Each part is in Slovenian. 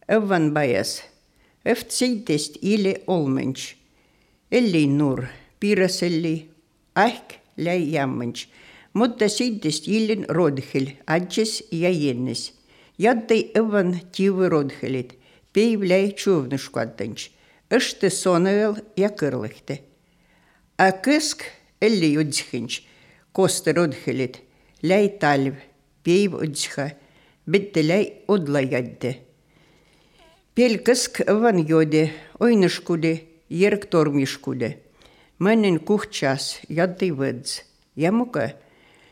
Evvan bajas. Seitest ile olmench. Elli nur, piiraselli, ahk läi jammench. Mutta seitest ilin rodhil, adjes ja jennes. Jaddei evvan tiivi rodhilit, peiv läi tšuvnuškvatanch. Õšte sonel ja kõrlihte. A kõsk elli judshinch, koste rodhilit, läi talv, peiv udsha, bitte läi odla jadde. Pel kõsk evvan jode, oineškude, järg tormiškude. Mõnen kuhtšas jaddei võds. Ja muka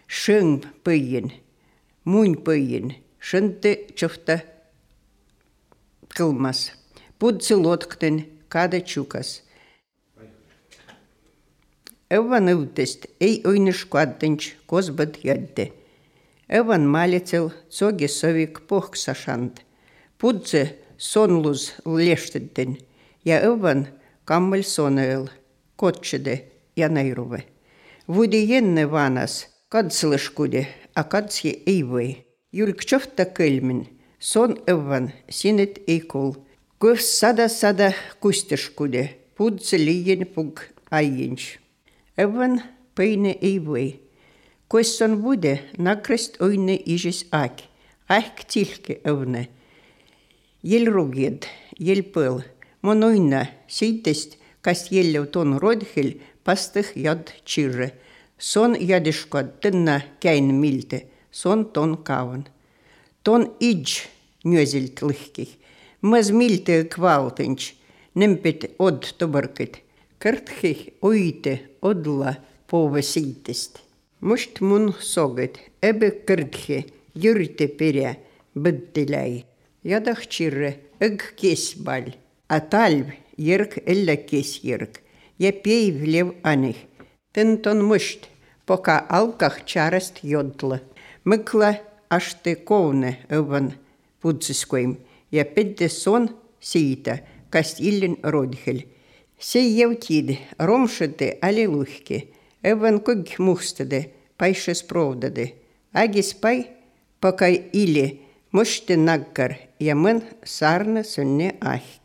šõng põien, muun põien, šõnte tšõhta kõlmas. Pudsi lotkten kada tšukas. Evvan õutest ei oineškuatanč kosbad jadde. Evvan malitsel tsogi sovik pohksashand. Pudsi sonlus leštetten ja evvan kammal sonel, kotšede ja nairuve. Vudi jenne vanas, katslõškude, a katsi ei või. Julk tšofta kõlmin, son evvan sinet ei kul. Kõvs sada kusteškude, pudse liien pug aienš. Evvan põine ei või. Kus on vude, nakrest oine isis aak. Ahk tilke evne. Jel ruged, jel põl. Mon oina seitest, kas jellev ton rodhil, pastih jad tširre. Son jadiškod tõnna käin milte, son ton kavan. Ton idž njözilt lõhkih. Mõs milte kvaltõnč, nempet od tõbõrkid. Kõrthih oite odla poove seitest. Must mun soged, ebe kõrthi jürte perä, bëtte läi. Jadah tširre, õg kesbal. A talv järg ella kesjärg. Ja peiv lev anih. Tõnd on must, poka alkah tšarast jodla. Mõkla ašte koone õvan pudsiskoim. Ja pedde son siita, kas ilin rodhil. See jõutid romšade aliluhki. Õvan kõg muhstade, paishes provdade. Agis pai, poka ili muste nakkar ja mõn sarna sõnne ahk.